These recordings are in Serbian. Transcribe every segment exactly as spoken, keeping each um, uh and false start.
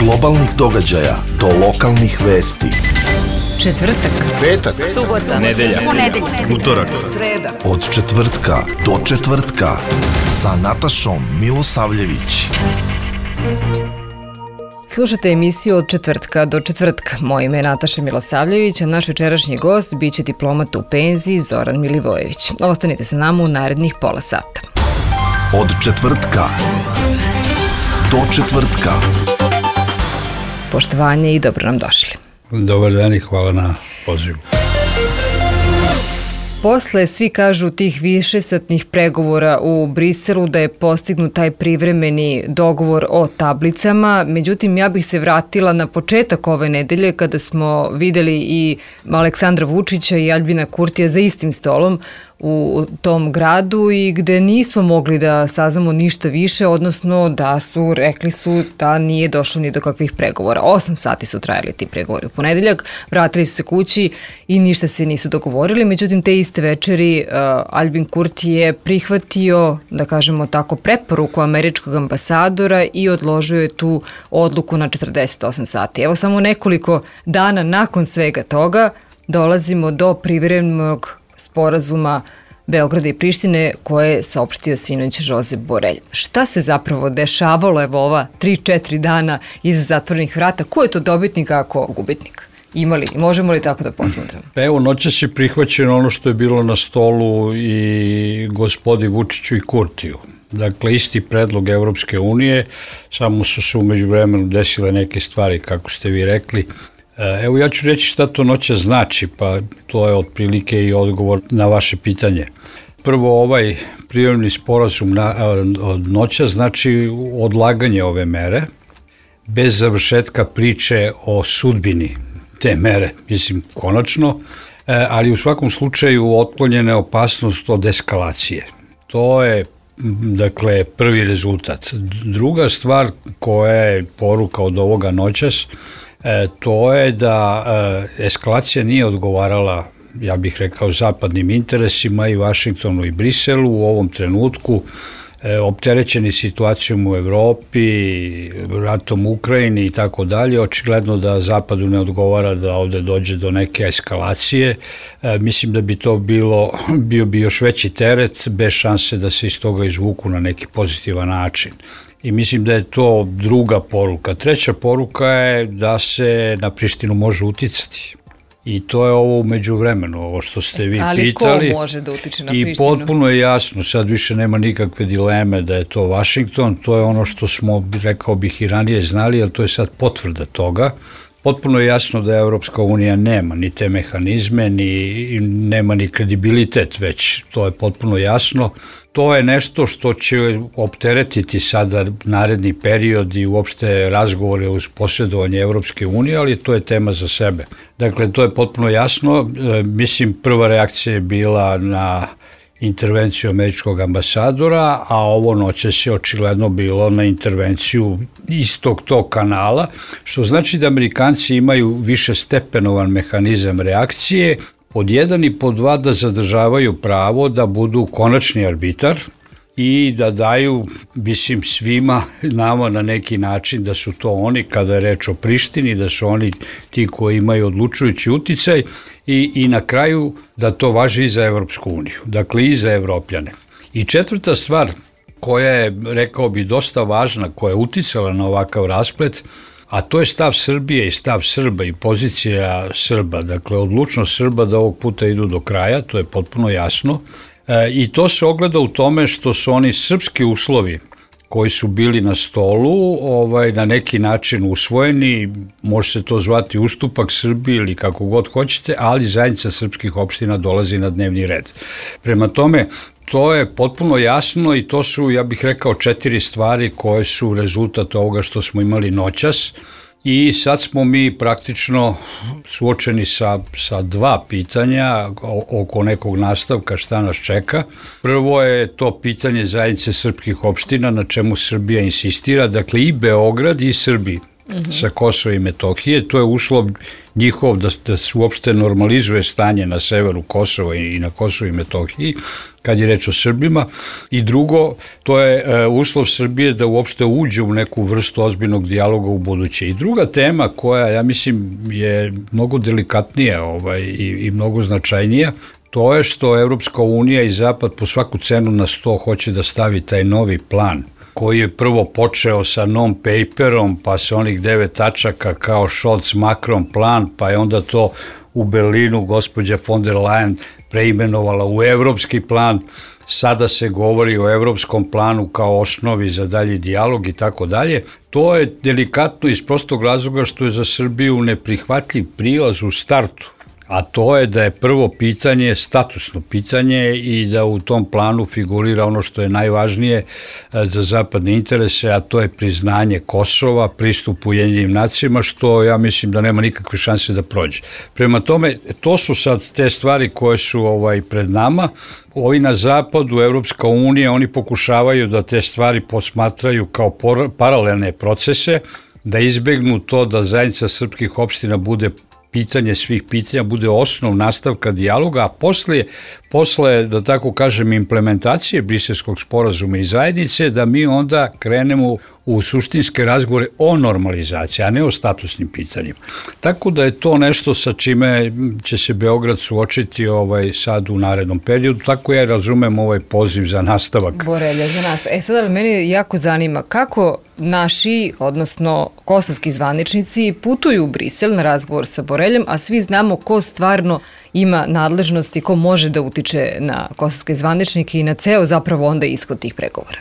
globalnih događaja do lokalnih vesti. Četvrtak, petak, subota, nedelja, ponedeljak, utorak, sreda. Od četvrtka do četvrtka sa Natašom Milosavljević. Slušate emisiju Od četvrtka do četvrtka. Moje ime je Nataša Milosavljević, a naš večerašnji gost biće diplomata u penziji Zoran Milivojević. Ostanite sa nama u narednih pola sata. Od četvrtka do četvrtka. Poštovanje i dobro nam došli. Dobar dan i hvala na pozivu. Posle, svi kažu, tih višesatnih pregovora u Briselu da je postignut taj privremeni dogovor o tablicama. Međutim, ja bih se vratila na početak ove nedelje kada smo videli i Aleksandra Vučića i Aljbina Kurtija za istim stolom u tom gradu i gde nismo mogli da saznamo ništa više, odnosno da su, rekli su da nije došlo ni do kakvih pregovora. Osam sati su trajali ti pregovori u ponedeljak, vratili su se kući i ništa se nisu dogovorili, međutim te iste večeri uh, Aljbin Kurti je prihvatio, da kažemo tako, preporuku američkog ambasadora i odložio je tu odluku na četrdeset osam sati. Evo samo nekoliko dana nakon svega toga dolazimo do privremenog sporazuma Beograda i Prištine koje je saopštio sinoć Žozep Borelj. Šta se zapravo dešavalo evo ova tri četiri dana iza zatvorenih vrata? Ko je to dobitnik, a ko gubitnik? Imali, možemo li tako da posmatramo? Evo, noćas je prihvaćeno ono što je bilo na stolu i gospodi Vučiću i Kurtiju. Dakle, isti predlog Evropske unije, samo su se umeđu vremenu desile neke stvari, kako ste vi rekli. Evo, ja ću reći šta to noća znači, pa to je otprilike i odgovor na vaše pitanje. Prvo, ovaj privremeni sporazum na, od noća znači odlaganje ove mere, bez završetka priče o sudbini te mere, mislim, konačno, ali u svakom slučaju otklonjena je opasnost od eskalacije. To je, dakle, prvi rezultat. Druga stvar koja je poruka od ovoga noćas, E, to je da e, eskalacija nije odgovarala, ja bih rekao, zapadnim interesima i Vašingtonu i Briselu u ovom trenutku, e, opterećeni situacijom u Evropi, ratom u Ukrajini i tako dalje. Očigledno da zapadu ne odgovara da ovde dođe do neke eskalacije. E, mislim da bi to bilo, bio bi još veći teret bez šanse da se iz toga izvuku na neki pozitivan način. I mislim da je to druga poruka. Treća poruka je da se na Prištinu može uticati. I to je ovo umeđu vremenu, ovo što ste vi ali pitali. Ali ko može da utiče na Prištinu? I potpuno je jasno, sad više nema nikakve dileme da je to Vašington. To je ono što smo, rekao bih, i ranije znali, ali to je sad potvrda toga. Potpuno je jasno da Evropska unija nema ni te mehanizme, ni, nema ni kredibilitet, već to je potpuno jasno. To je nešto što će opteretiti sada naredni period i uopšte razgovore uz posredovanje Evropske unije, ali to je tema za sebe. Dakle, to je potpuno jasno. E, mislim, prva reakcija je bila na intervenciju američkog ambasadora, a ovo noćas je očigledno bilo na intervenciju istog tog kanala, što znači da Amerikanci imaju više stepenovan mehanizam reakcije, pod jedan i pod dva da zadržavaju pravo da budu konačni arbitar i da daju, mislim, svima nama na neki način da su to oni, kada je reč o Prištini, da su oni ti koji imaju odlučujući uticaj i, i na kraju da to važi i za Evropsku uniju, dakle i za Evropljane. I četvrta stvar koja je, rekao bi, dosta važna, koja je uticala na ovakav rasplet, a to je stav Srbije i stav Srba i pozicija Srba, dakle odlučnost Srba da ovog puta idu do kraja, to je potpuno jasno. E, I to se ogleda u tome što su oni srpski uslovi koji su bili na stolu ovaj, na neki način usvojeni, može se to zvati ustupak Srbiji ili kako god hoćete, ali zajednica srpskih opština dolazi na dnevni red. Prema tome, to je potpuno jasno i to su, ja bih rekao, četiri stvari koje su rezultat ovoga što smo imali noćas. I sad smo mi praktično suočeni sa, sa dva pitanja oko nekog nastavka šta nas čeka. Prvo je to pitanje zajednice srpskih opština na čemu Srbija insistira, dakle i Beograd i Srbi mm-hmm. sa Kosova i Metohije. To je uslov njihov da, da se uopšte normalizuje stanje na severu Kosova i, i na Kosovu i Metohiji, kad je reč o Srbima. I drugo, to je e, uslov Srbije da uopšte uđe u neku vrstu ozbiljnog dijaloga u buduće. I druga tema koja, ja mislim, je mnogo delikatnija ovaj, i, i mnogo značajnija, to je što Evropska unija i Zapad po svaku cenu na sto hoće da stavi taj novi plan, koji je prvo počeo sa non-paperom, pa sa onih devet tačaka kao Scholz-Macron plan, pa je onda to u Berlinu gospođa von der Leyen preimenovala u evropski plan. Sada se govori o evropskom planu kao osnovi za dalji dijalog i tako dalje. To je delikatno iz prostog razloga što je za Srbiju neprihvatljiv prilaz u startu, a to je da je prvo pitanje statusno pitanje i da u tom planu figurira ono što je najvažnije za zapadne interese, a to je priznanje Kosova, pristup Ujedinjenim nacijama, što ja mislim da nema nikakve šanse da prođe. Prema tome, to su sad te stvari koje su ovaj, pred nama. Ovi na zapadu, Evropska unija, oni pokušavaju da te stvari posmatraju kao por- paralelne procese, da izbegnu to da zajednica srpskih opština bude pitanje svih pitanja, bude osnov nastavka dijaloga, a posle, posle, da tako kažem, implementacije Briselskog sporazuma i zajednice, da mi onda krenemo u suštinske razgovore o normalizaciji, a ne o statusnim pitanjima. Tako da je to nešto sa čime će se Beograd suočiti ovaj, sad u narednom periodu, tako ja razumem ovaj poziv za nastavak. Borelja za nas. E sada mene jako zanima kako naši, odnosno kosovski zvaničnici putuju u Brisel na razgovor sa Boreljom, a svi znamo ko stvarno ima nadležnosti, ko može da utiče na kosovske zvaničnike i na ceo zapravo onda ishod tih pregovora.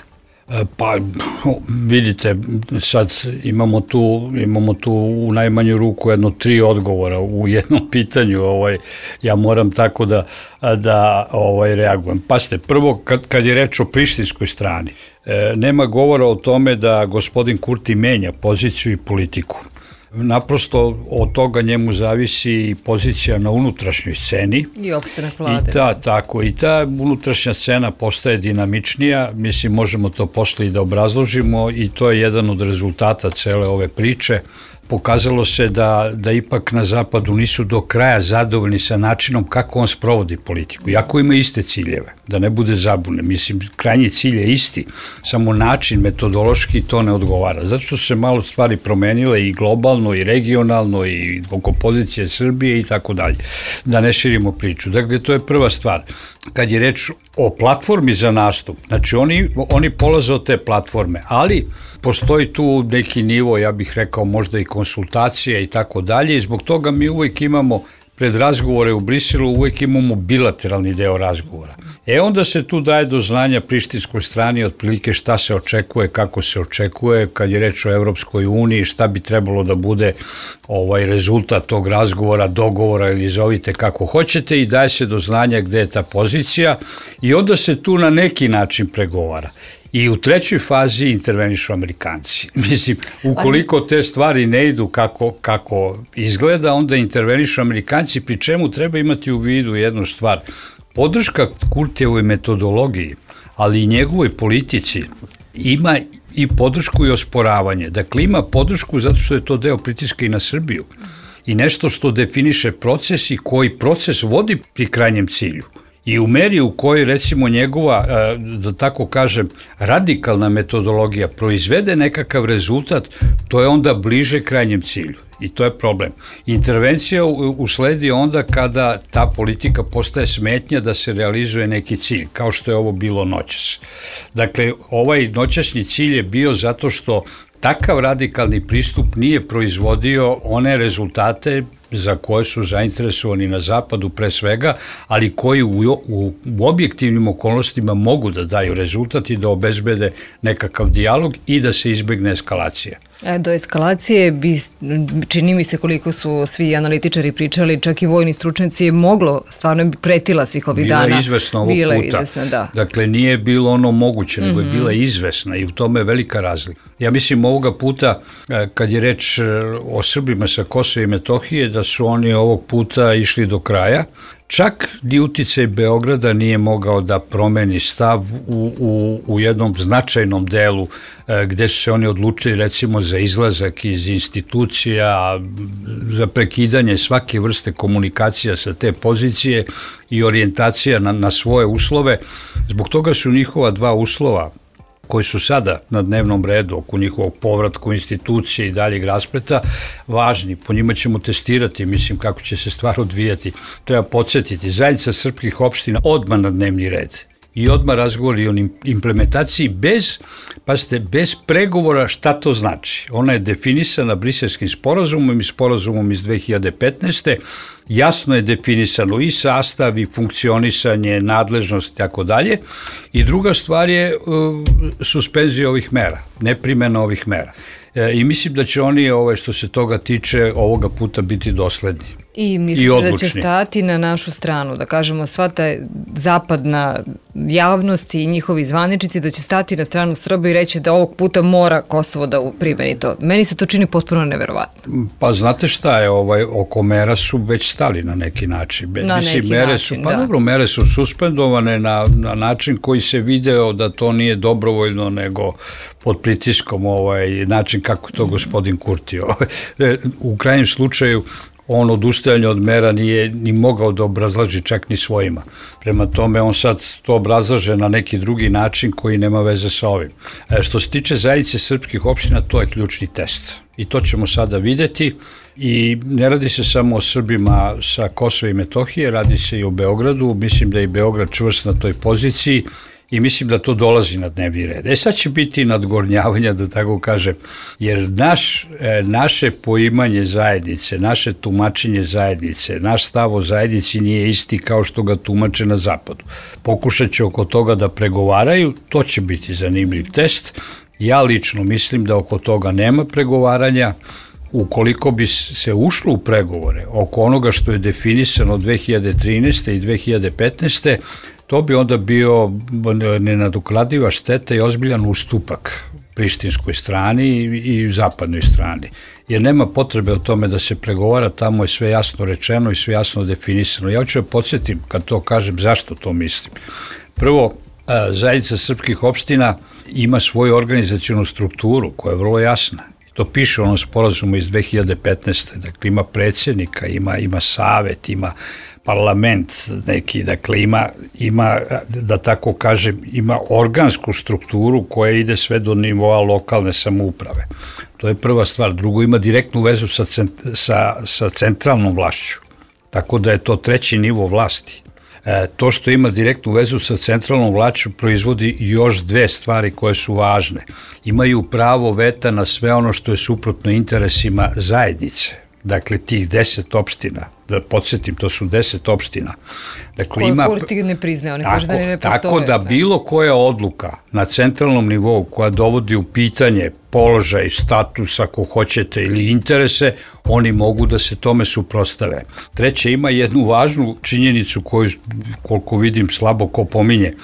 Pa vidite, sad imamo tu, imamo tu u najmanju ruku jedno tri odgovora u jednom pitanju, ovaj, ja moram tako da, da ovaj, reagujem. Pasite, prvo kad, kad je reč o prištinskoj strani, e, nema govora o tome da gospodin Kurti menja poziciju i politiku. Naprosto od toga njemu zavisi pozicija na unutrašnjoj sceni. I opstanak vlade. I ta, tako, i ta unutrašnja scena postaje dinamičnija, mislim možemo to posle i da obrazložimo i to je jedan od rezultata cele ove priče. Pokazalo se da, da ipak na zapadu nisu do kraja zadovoljni sa načinom kako on sprovodi politiku, iako ima iste ciljeve, da ne bude zabune. Mislim, krajnji cilj je isti, samo način metodološki to ne odgovara. Zato što su se malo stvari promenile i globalno i regionalno i oko pozicije Srbije i tako dalje. Da ne širimo priču. Dakle, to je prva stvar. Kad je reč o platformi za nastup, znači oni, oni polaze od te platforme, ali postoji tu neki nivo, ja bih rekao možda i konsultacija i tako dalje i zbog toga mi uvijek imamo pred razgovore u Briselu, uvijek imamo bilateralni deo razgovora. E onda se tu daje do znanja prištinskoj strani otprilike šta se očekuje, kako se očekuje, kad je reč o Evropskoj uniji, šta bi trebalo da bude ovaj rezultat tog razgovora, dogovora ili zovite kako hoćete i daje se do znanja gde je ta pozicija i onda se tu na neki način pregovara. I u trećoj fazi intervenišu Amerikanci. Mislim, ukoliko te stvari ne idu kako, kako izgleda, onda intervenišu Amerikanci, pri čemu treba imati u vidu jednu stvar. Podrška Kurtijevoj metodologiji, ali i njegovoj politici, ima i podršku i osporavanje. Dakle, ima podršku zato što je to deo pritiska i na Srbiju. I nešto što definiše proces i koji proces vodi pri krajnjem cilju. I u meri u kojoj, recimo, njegova, da tako kažem, radikalna metodologija proizvede nekakav rezultat, to je onda bliže krajnjem cilju. I to je problem. Intervencija usledi onda kada ta politika postaje smetnja da se realizuje neki cilj, kao što je ovo bilo noćas. Dakle, ovaj noćasni cilj je bio zato što takav radikalni pristup nije proizvodio one rezultate za koje su zainteresovani na zapadu pre svega, ali koji u, u, u objektivnim okolnostima mogu da daju rezultat i da obezbede nekakav dijalog i da se izbegne eskalacija. E, do eskalacije bi, čini mi se koliko su svi analitičari pričali, čak i vojni stručnjaci je moglo, stvarno bi pretila svih ovih bila dana. Bila je izvesna ovog bila puta. Izvesna, da. Dakle, nije bilo ono moguće, nego mm-hmm. je bila izvesna i u tome je velika razlika. Ja mislim ovoga puta, kad je reč o Srbima sa Kosova i Metohije, da da su oni ovog puta išli do kraja. Čak ni uticaj Beograda nije mogao da promeni stav u, u, u jednom značajnom delu e, gde su se oni odlučili recimo za izlazak iz institucija, za prekidanje svake vrste komunikacija sa te pozicije i orijentacija na, na svoje uslove. Zbog toga su njihova dva uslova koji su sada na dnevnom redu oko njihovog povratka u institucije i daljeg raspleta, važni. Po njima ćemo testirati, mislim, kako će se stvar odvijati. Treba podsjetiti, zajednica srpskih opština odmah na dnevni red i odmah razgovori o implementaciji bez, pazite, bez pregovora šta to znači. Ona je definisana Briselskim sporazumom i sporazumom iz dve hiljade petnaeste. Jasno je definisano i sastav i funkcionisanje, nadležnost i tako dalje. I druga stvar je uh, suspenzija ovih mera, neprimjena ovih mera. E, I mislim da će oni, ove, što se toga tiče, ovoga puta biti dosledni. I mislite da će stati na našu stranu, da kažemo sva ta zapadna javnost i njihovi zvaničnici da će stati na stranu Srba i reći da ovog puta mora Kosovo da primeni to. Meni se to čini potpuno neverovatno. Pa znate šta je, ovaj, oko mera su već stali na neki način. Na Mislim, neki mere način, su, pa da. dobro, mere su suspendovane na, na način koji se video da to nije dobrovoljno, nego pod pritiskom ovaj, način kako to gospodin Kurti. Ovaj. U krajnjem slučaju, on odustajanje od mera nije ni mogao da obrazlaži čak ni svojima. Prema tome, on sad to obrazlaže na neki drugi način koji nema veze sa ovim. E, što se tiče zajednice srpskih opština, to je ključni test. I to ćemo sada videti. I ne radi se samo o Srbima sa Kosova i Metohije, radi se i o Beogradu. Mislim da je i Beograd čvrst na toj poziciji i mislim da to dolazi na dnevni red. E sad će biti nadgornjavanja, da tako kažem, jer naš, e, naše poimanje zajednice, naše tumačenje zajednice, naš stav o zajednici nije isti kao što ga tumače na zapadu. Pokušat će oko toga da pregovaraju, to će biti zanimljiv test. Ja lično mislim da oko toga nema pregovaranja. Ukoliko bi se ušlo u pregovore oko onoga što je definisano dve hiljade trinaeste i dve hiljade petnaeste, to bi onda bio nenadoknadiva šteta i ozbiljan ustupak prištinskoj strani i, i zapadnoj strani. Jer nema potrebe o tome da se pregovara, tamo je sve jasno rečeno i sve jasno definisano. Ja ću da podsjetim, kad to kažem, zašto to mislim. Prvo, zajednica srpskih opština ima svoju organizacionu strukturu koja je vrlo jasna. To piše u onom sporazumu iz dve hiljade petnaeste. Dakle, ima predsjednika, ima, ima savet, ima parlament neki, dakle ima, ima, da tako kažem, ima organsku strukturu koja ide sve do nivoa lokalne samouprave. To je prva stvar. Drugo, ima direktnu vezu sa, sa, sa centralnom vlašću. Tako da je to treći nivo vlasti. E, to što ima direktnu vezu sa centralnom vlašću proizvodi još dve stvari koje su važne. Imaju pravo veta na sve ono što je suprotno interesima zajednice. Dakle, tih deset opština, da podsjetim, to su deset opština. Dakle, koje ima, Kurti ne priznaje, oni kaže da ne postoje. Tako da bilo koja odluka na centralnom nivou koja dovodi u pitanje položaj, status, ako hoćete, ili interese, oni mogu da se tome suprotstave. Treće, ima jednu važnu činjenicu koju, koliko vidim, slabo ko pominje.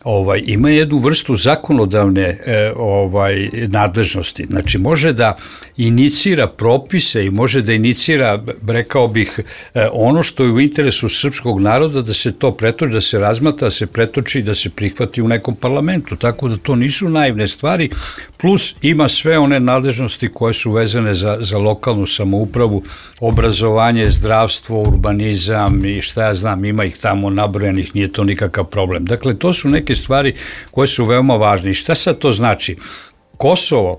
Ovaj, ima jednu vrstu zakonodavne e, ovaj, nadležnosti. Znači, može da inicira propise i može da inicira, rekao bih, e, ono što je u interesu srpskog naroda, da se to pretoči, da se razmatra, da se pretoči i da se prihvati u nekom parlamentu. Tako da to nisu naivne stvari, plus ima sve one nadležnosti koje su vezane za, za lokalnu samoupravu, obrazovanje, zdravstvo, urbanizam i šta ja znam, ima ih tamo nabrojanih, nije to nikakav problem. Dakle, to su neke stvari koje su veoma važne. I šta sad to znači? Kosovo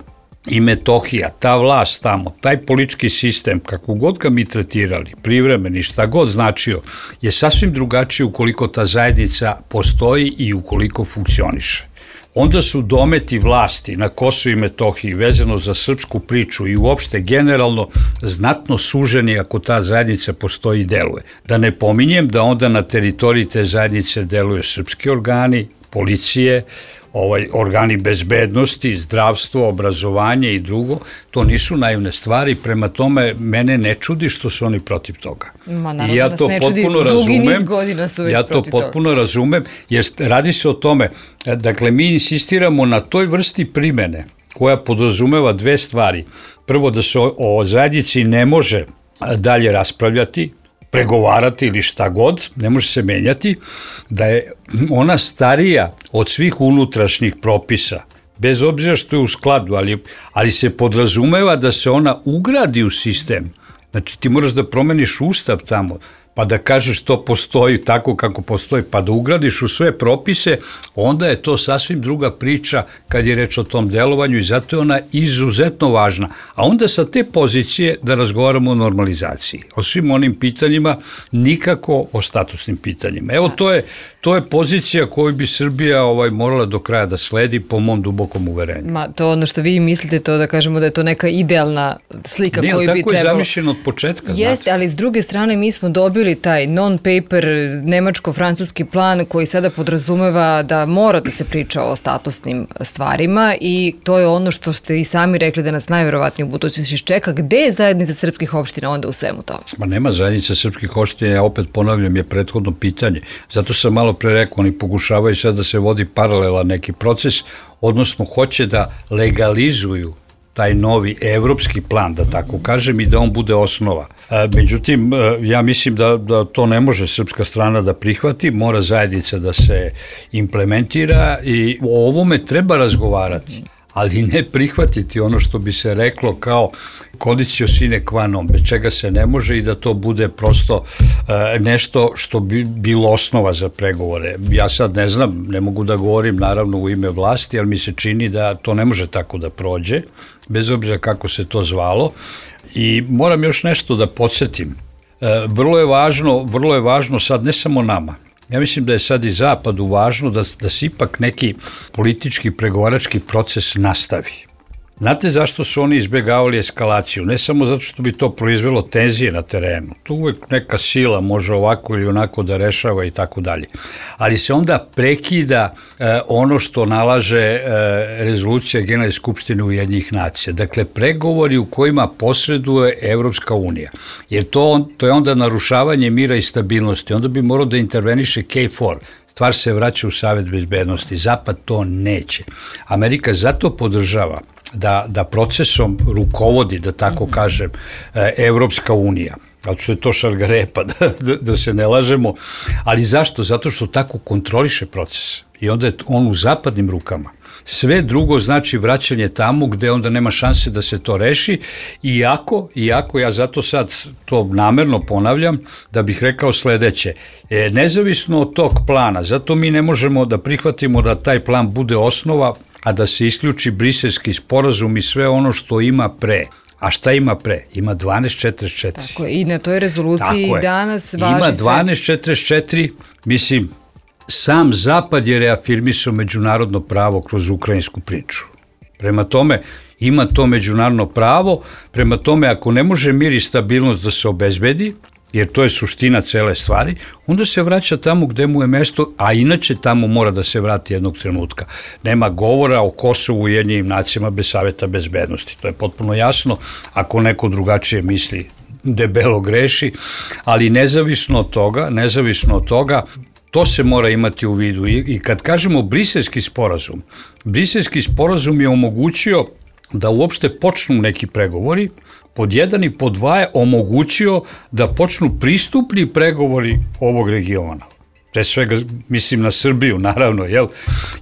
i Metohija, ta vlast tamo, taj politički sistem, kako god ga mi tretirali, privremeni, šta god značio, je sasvim drugačiji ukoliko ta zajednica postoji i ukoliko funkcioniše. Onda su dometi vlasti na Kosovu i Metohiji vezano za srpsku priču i uopšte generalno znatno suženi ako ta zajednica postoji i deluje. Da ne pominjem da onda na teritoriji te zajednice deluju srpski organi, policije, ovaj, organi bezbednosti, zdravstvo, obrazovanje i drugo, to nisu naivne stvari, prema tome mene ne čudi što su oni protiv toga. Ma naravno, ja to ne čudi, dugi niz godina su već ja protiv toga. Ja to potpuno razumem, jer radi se o tome, dakle mi insistiramo na toj vrsti primene koja podrazumeva dve stvari. Prvo, da se o, o zajednici ne može dalje raspravljati, pregovarati ili šta god, ne može se menjati, da je ona starija od svih unutrašnjih propisa, bez obzira što je u skladu, ali, ali se podrazumeva da se ona ugradi u sistem. Znači ti moraš da promeniš ustav tamo, pa da kažeš to postoji tako kako postoji, pa da ugradiš u sve propise, onda je to sasvim druga priča kad je reč o tom delovanju i zato je ona izuzetno važna. A onda sa te pozicije da razgovaramo o normalizaciji, o svim onim pitanjima, nikako o statusnim pitanjima. Evo to je, to je pozicija koju bi Srbija ovaj, morala do kraja da sledi po mom dubokom uverenju. Ma, to ono što vi mislite, to da kažemo da je to neka idealna slika ne, koju bi trebalo. Tako je zamišljeno od početka. Jeste, znate. Ali s druge strane mi smo dobili taj non-paper nemačko-francuski plan koji sada podrazumeva da mora da se priča o statusnim stvarima i to je ono što ste i sami rekli da nas najverovatnije u budućnosti čeka. Gde je zajednica srpskih opština onda u svemu tome? Ma nema zajednica srpskih opština, ja opet ponavljam, je prethodno pitanje. Zato sam malo pre rekao, oni pokušavaju sad da se vodi paralela neki proces, odnosno hoće da legalizuju taj novi evropski plan, da tako kažem, i da on bude osnova. Međutim, ja mislim da, da to ne može srpska strana da prihvati, mora zajednica da se implementira i o ovome treba razgovarati, ali ne prihvatiti ono što bi se reklo kao conditio sine qua non, bez čega se ne može i da to bude prosto e, nešto što bi bilo osnova za pregovore. Ja sad ne znam, ne mogu da govorim naravno u ime vlasti, ali mi se čini da to ne može tako da prođe, bez obzira kako se to zvalo. I moram još nešto da podsjetim. E, vrlo je važno, vrlo je važno sad ne samo nama. Ja mislim da je sad i Zapadu važno da, da se ipak neki politički pregovarački proces nastavi. Znate zašto su oni izbjegavali eskalaciju? Ne samo zato što bi to proizvelo tenzije na terenu. Tu uvek neka sila može ovako ili onako da rešava i tako dalje. Ali se onda prekida e, ono što nalaže e, rezolucija Generalne skupštine Ujedinjenih nacija. Dakle, pregovori u kojima posreduje Evropska unija. Jer to, to je onda narušavanje mira i stabilnosti. Onda bi morao da interveniše K četiri. Stvar se vraća u Savet bezbednosti. Zapad to neće. Amerika zato podržava da, da procesom rukovodi, da tako kažem, Evropska unija. Zato što je to šargarepa, da, da, da se ne lažemo. Ali zašto? Zato što tako kontroliše proces. I onda je on u zapadnim rukama. Sve drugo znači vraćanje tamo gde onda nema šanse da se to reši, iako, iako ja zato sad to namerno ponavljam, da bih rekao sledeće, e, nezavisno od tog plana, zato mi ne možemo da prihvatimo da taj plan bude osnova, a da se isključi Briselski sporazum i sve ono što ima pre. A šta ima pre? Ima dvanaest četrdeset četiri. Tako je, i na toj rezoluciji danas važi ima sve. dvanaest četrdeset četiri, mislim, sam Zapad je reafirmisao međunarodno pravo kroz ukrajinsku priču. Prema tome, ima to međunarodno pravo, prema tome, ako ne može mir i stabilnost da se obezbedi, jer to je suština cele stvari, onda se vraća tamo gde mu je mesto, a inače tamo mora da se vrati jednog trenutka. Nema govora o Kosovu i Ujedinjenim nacijama bez Saveta bezbednosti. To je potpuno jasno, ako neko drugačije misli, debelo greši, ali nezavisno od toga, nezavisno od toga, to se mora imati u vidu. I, i kad kažemo Briselski sporazum, Briselski sporazum je omogućio da uopšte počnu neki pregovori, pod jedan i pod dva je omogućio da počnu pristupni pregovori ovog regiona. Pre svega mislim na Srbiju, naravno, jel?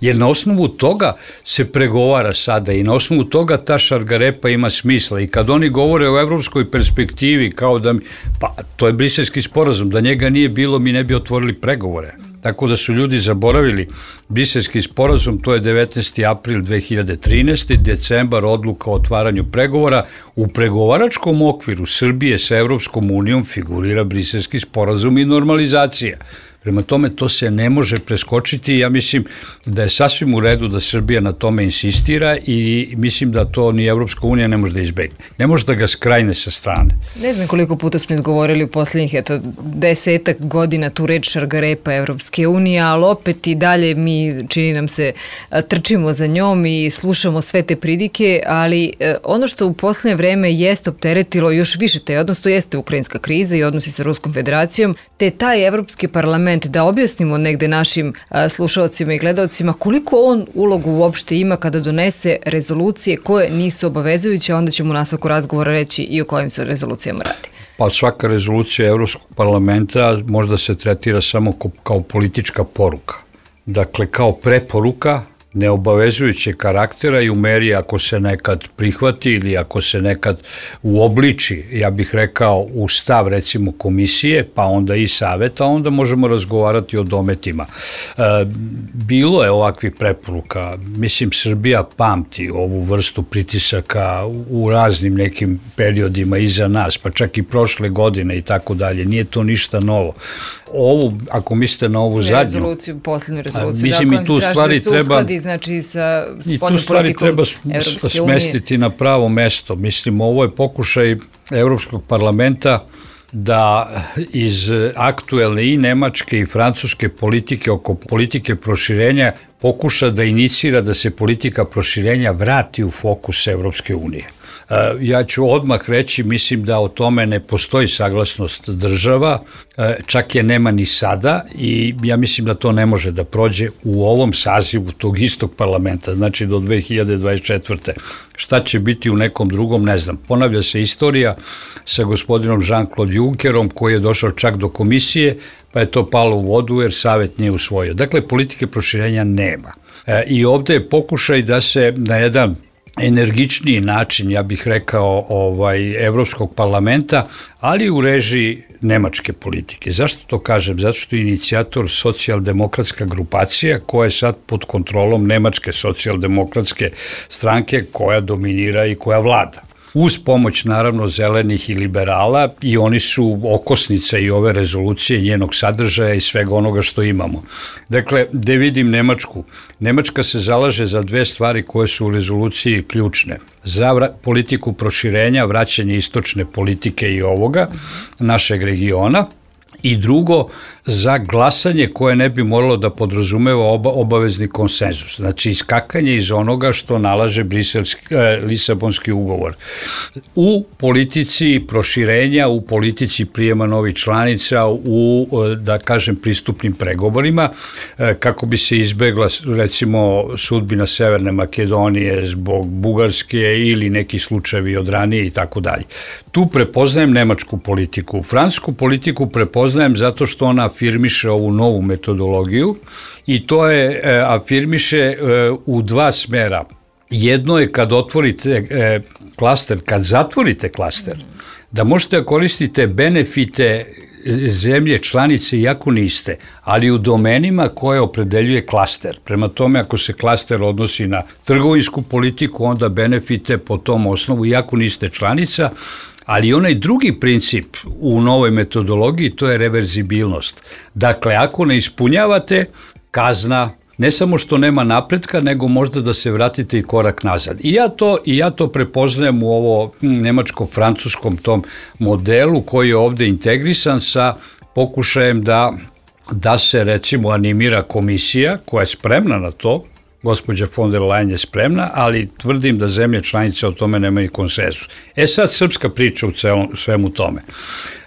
Jer na osnovu toga se pregovara sada i na osnovu toga ta šargarepa ima smisla. I kad oni govore o evropskoj perspektivi, kao da mi, pa to je Briselski sporazum, da njega nije bilo, mi ne bi otvorili pregovore. Tako da su ljudi zaboravili Briselski sporazum, to je devetnaesti april dve hiljade trinaeste. decembar odluka o otvaranju pregovora. U pregovaračkom okviru Srbije sa Evropskom unijom figurira Briselski sporazum i normalizacija. Prema tome, to se ne može preskočiti i ja mislim da je sasvim u redu da Srbija na tome insistira i mislim da to ni Evropska unija ne može da izbegne. Ne može da ga skrajne sa strane. Ne znam koliko puta smo izgovorili u poslednjih eto, desetak godina tu reč šargarepa Evropske unije, ali opet i dalje mi, čini nam se, trčimo za njom i slušamo sve te pridike, ali ono što u poslednje vreme jeste opteretilo još više taj odnos, to jeste ukrajinska kriza i odnosi sa Ruskom federacijom, te taj Evropski parlament, da objasnimo negde našim slušalcima i gledalcima koliko on ulogu uopšte ima kada donese rezolucije koje nisu obavezujuće, onda ćemo u nastavku razgovora reći i o kojim se rezolucijama radi. Pa svaka rezolucija Evropskog parlamenta možda se tretira samo kao politička poruka. Dakle, kao preporuka neobavezujuće karaktera i u meri ako se nekad prihvati ili ako se nekad uobliči, ja bih rekao, u stav recimo komisije, pa onda i saveta, onda možemo razgovarati o dometima. E, bilo je ovakvih preporuka, mislim Srbija pamti ovu vrstu pritisaka u raznim nekim periodima iza nas, pa čak i prošle godine i tako dalje, nije to ništa novo. Ovu, ako mislite na ovu zadnju... Rezoluciju, poslednju rezoluciju, mislim, da, i tu stvari da se treba, uskladi, znači, sa i tu stvari treba smestiti na pravo mesto. Mislim, ovo je pokušaj Evropskog parlamenta da iz aktuelne i nemačke i francuske politike oko politike proširenja pokuša da inicira da se politika proširenja vrati u fokus Evropske unije. Ja ću odmah reći, mislim da o tome ne postoji saglasnost država, čak je nema ni sada i ja mislim da to ne može da prođe u ovom sazivu tog istog parlamenta, znači do dve hiljade dvadeset četvrte. Šta će biti u nekom drugom, ne znam. Ponavlja se istorija sa gospodinom Jean-Claude Junckerom koji je došao čak do komisije, pa je to palo u vodu jer savet nije usvojio. Dakle, politike proširenja nema. I ovde je pokušaj da se na jedan energičniji način, ja bih rekao, ovaj, Evropskog parlamenta, ali u režiji nemačke politike. Zašto to kažem? Zato što je inicijator socijaldemokratska grupacija koja je sad pod kontrolom nemačke socijaldemokratske stranke koja dominira i koja vlada. Uz pomoć, naravno, zelenih i liberala i oni su okosnica i ove rezolucije, njenog sadržaja i svega onoga što imamo. Dakle, gde vidim Nemačku? Nemačka se zalaže za dve stvari koje su u rezoluciji ključne. Za vra- politiku proširenja, vraćanje istočne politike i ovoga, našeg regiona, i drugo, za glasanje koje ne bi moralo da podrazumeva oba, obavezni konsenzus. Znači, iskakanje iz onoga što nalaže briselski, eh, Lisabonski ugovor. U politici proširenja, u politici prijema novih članica, u, da kažem, pristupnim pregovorima, eh, kako bi se izbegla, recimo, sudbina Severne Makedonije zbog Bugarske ili neki slučajevi od ranije i tako dalje. Tu prepoznajem nemačku politiku. Francusku politiku prepoznajem zato što ona afirmiše ovu novu metodologiju i to je e, afirmiše e, u dva smera. Jedno je kad otvorite e, klaster, kad zatvorite klaster, da možete koristiti benefite zemlje članice iako niste, ali u domenima koje opredeljuje klaster. Prema tome, ako se klaster odnosi na trgovinsku politiku, onda benefite po tom osnovu iako niste članica, ali onaj drugi princip u novoj metodologiji, to je reverzibilnost. Dakle, ako ne ispunjavate, kazna, ne samo što nema napretka, nego možda da se vratite i korak nazad. I ja to, i ja to prepoznajem u ovo nemačko-francuskom tom modelu koji je ovde integrisan sa pokušajem da, da se, recimo, animira komisija koja je spremna na to, gospođa von der Leyen je spremna, ali tvrdim da zemlje članice o tome nemaju konsenzus. E sad srpska priča u celom, svemu tome.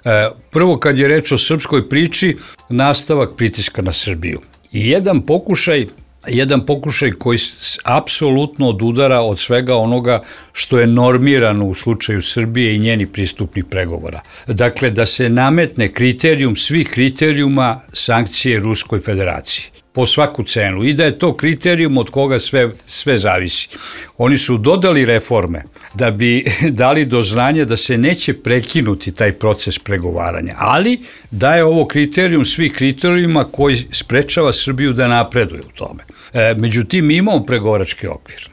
E, prvo kad je reč o srpskoj priči, nastavak pritiska na Srbiju. I jedan pokušaj, jedan pokušaj koji apsolutno odudara od svega onoga što je normirano u slučaju Srbije i njeni pristupnih pregovora. Dakle, da se nametne kriterijum svih kriterijuma sankcije Ruskoj federaciji po svaku cenu i da je to kriterijum od koga sve, sve zavisi. Oni su dodali reforme da bi dali do znanja da se neće prekinuti taj proces pregovaranja, ali da je ovo kriterijum svih kriterijuma koji sprečava Srbiju da napreduje u tome. E, međutim, mi imamo pregovarački okvir.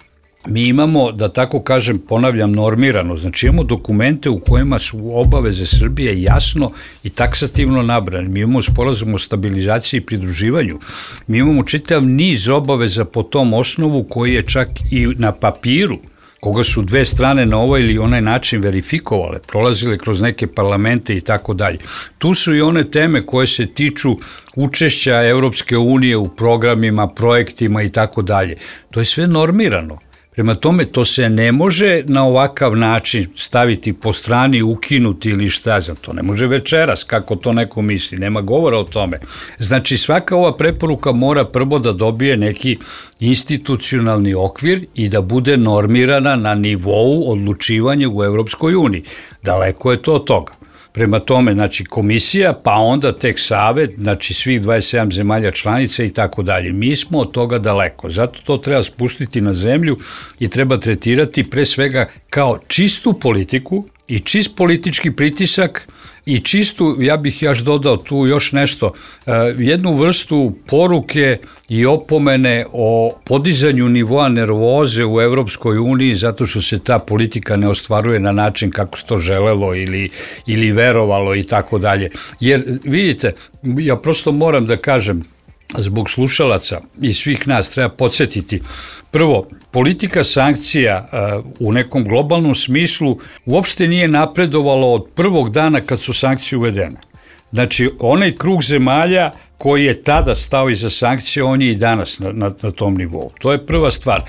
Mi imamo, da tako kažem, ponavljam, normirano, znači imamo dokumente u kojima su obaveze Srbije jasno i taksativno nabrane. Mi imamo sporazum o stabilizaciji i pridruživanju. Mi imamo čitav niz obaveza po tom osnovu koji je čak i na papiru, koga su dve strane na ovaj ili onaj način verifikovale, prolazile kroz neke parlamente i tako dalje. Tu su i one teme koje se tiču učešća Evropske unije u programima, projektima i tako dalje. To je sve normirano. Prema tome, to se ne može na ovakav način staviti po strani, ukinuti ili šta znam, to ne može večeras, kako to neko misli, nema govora o tome. Znači, svaka ova preporuka mora prvo da dobije neki institucionalni okvir i da bude normirana na nivou odlučivanja u Evropskoj uniji. Daleko je to od toga. Prema tome, znači komisija, pa onda tek savet, znači svih dvadeset sedam zemalja članica i tako dalje. Mi smo od toga daleko, zato to treba spustiti na zemlju i treba tretirati pre svega kao čistu politiku i čist politički pritisak i čistu, ja bih još dodao tu još nešto, jednu vrstu poruke i opomene o podizanju nivoa nervoze u Evropskoj uniji zato što se ta politika ne ostvaruje na način kako se to želelo ili, ili verovalo i tako dalje. Jer vidite, ja prosto moram da kažem, zbog slušalaca i svih nas treba podsjetiti. Prvo, politika sankcija uh, u nekom globalnom smislu uopšte nije napredovalo od prvog dana kad su sankcije uvedene. Znači, onaj krug zemalja koji je tada stao iza sankcije, on je i danas na, na, na tom nivou. To je prva stvar.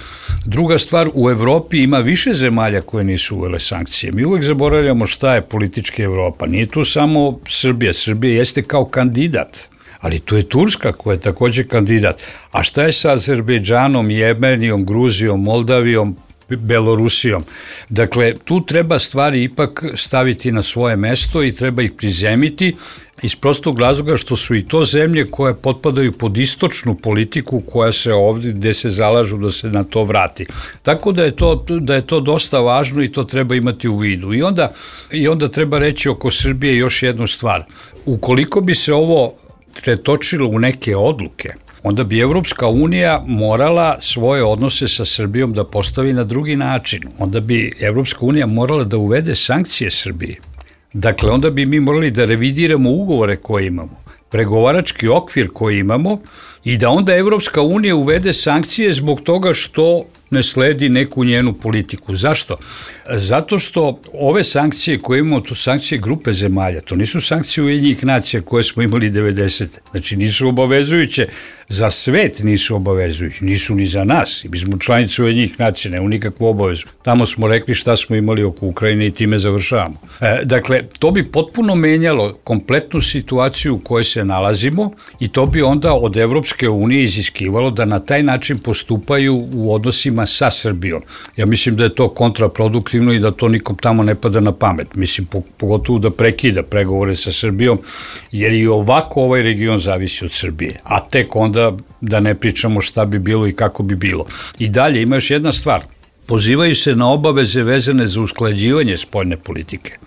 Druga stvar, u Evropi ima više zemalja koje nisu uvele sankcije. Mi uvek zaboravljamo šta je politička Evropa. Nije tu samo Srbija. Srbija jeste kao kandidat. Ali tu je Turska koja je takođe kandidat. A šta je sa Azerbejdžanom, Jemenijom, Gruzijom, Moldavijom, Belorusijom? Dakle, tu treba stvari ipak staviti na svoje mesto i treba ih prizemiti iz prostog razloga što su i to zemlje koje potpadaju pod istočnu politiku koja se ovdje, gde se zalažu da se na to vrati. Tako da je to, da je to dosta važno i to treba imati u vidu. I onda, i onda treba reći oko Srbije još jednu stvar. Ukoliko bi se ovo pretočilo u neke odluke, onda bi Evropska unija morala svoje odnose sa Srbijom da postavi na drugi način. Onda bi Evropska unija morala da uvede sankcije Srbiji. Dakle, onda bi mi morali da revidiramo ugovore koje imamo, pregovarački okvir koji imamo i da onda Evropska unija uvede sankcije zbog toga što ne sledi neku njenu politiku. Zašto? Zato što ove sankcije koje imamo, to sankcije grupe zemalja, to nisu sankcije Ujedinjenih nacija koje smo imali devedesete. Znači nisu obavezujuće, za svet nisu obavezujuće, nisu ni za nas. Mi smo članice Ujedinjenih nacija, nemamo nikakvu obavezu. Tamo smo rekli šta smo imali oko Ukrajine i time završavamo. E, dakle, to bi potpuno menjalo kompletnu situaciju u kojoj se nalazimo i to bi onda od Evropske unije iziskivalo da na taj način postupaju u odnosima sa Srbijom. Ja mislim da je to kontraproduktivno i da to nikom tamo ne pada na pamet. Mislim, pogotovo da prekida pregovore sa Srbijom, jer i ovako ovaj region zavisi od Srbije. A tek onda da ne pričamo šta bi bilo i kako bi bilo. I dalje ima još jedna stvar. Pozivaju se na obaveze vezane za usklađivanje spoljne politike.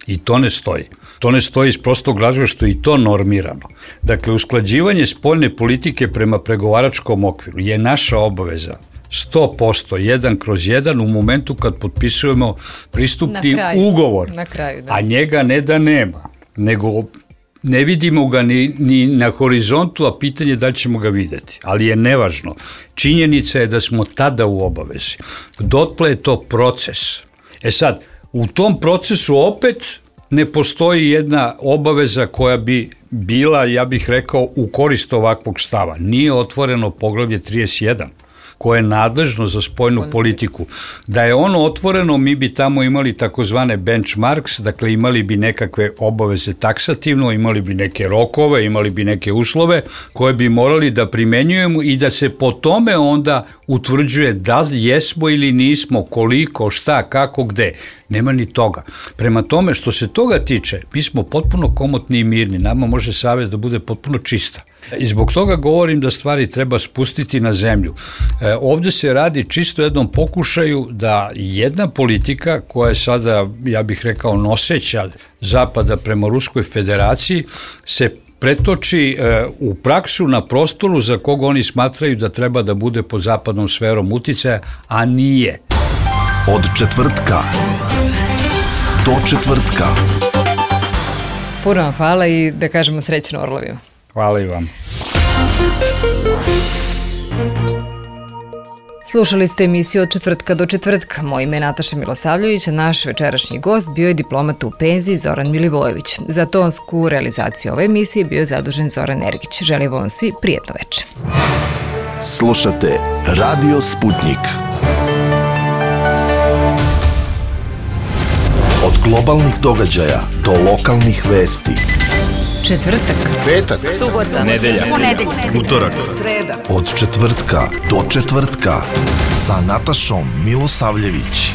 I to ne stoji. To ne stoji iz prostog razloga što je i to normirano. Dakle, usklađivanje spoljne politike prema pregovaračkom okviru je naša obaveza sto posto, jedan kroz jedan u momentu kad potpisujemo pristupni ugovor, na kraju, da. A njega ne da nema, nego ne vidimo ga ni, ni na horizontu, a pitanje da ćemo ga videti, ali je nevažno. Činjenica je da smo tada u obavezi. Dotle je to proces. E sad, u tom procesu opet ne postoji jedna obaveza koja bi bila, ja bih rekao, u korist ovakvog stava. Nije otvoreno poglavlje trideset jedan. koje je nadležno za spoljnu politiku. Da je ono otvoreno, mi bi tamo imali takozvane benchmarks, dakle imali bi nekakve obaveze taksativno, imali bi neke rokove, imali bi neke uslove koje bi morali da primenjujemo i da se po tome onda utvrđuje da li jesmo ili nismo, koliko, šta, kako, gde. Nema ni toga. Prema tome, što se toga tiče, mi smo potpuno komotni i mirni. Nama može savez da bude potpuno čista. I zbog toga govorim da stvari treba spustiti na zemlju. E, ovde se radi čisto jednom pokušaju da jedna politika koja je sada, ja bih rekao, noseća Zapada prema Ruskoj federaciji se pretoči e, u praksu na prostoru za koga oni smatraju da treba da bude pod zapadnom sferom uticaja, a nije. Od četvrtka do četvrtka. Puno vam hvala i da kažemo srećno orlovima. Hvala i vam. Slušali ste emisiju Od četvrtka do četvrtka. Moje ime je Nataša Milosavljević, a naš večerašnji gost bio je diplomata u penziji Zoran Milivojević. Za tonsku realizaciju ove emisije bio je zadužen Zoran Ergić. Želim vam svi prijetno večer. Slušate Radio Sputnik. Od globalnih događaja do lokalnih vesti. Četvrtak, petak, subota, nedelja, ponedeljak, utorak, sreda. Od četvrtka do četvrtka sa Natašom Milosavljević.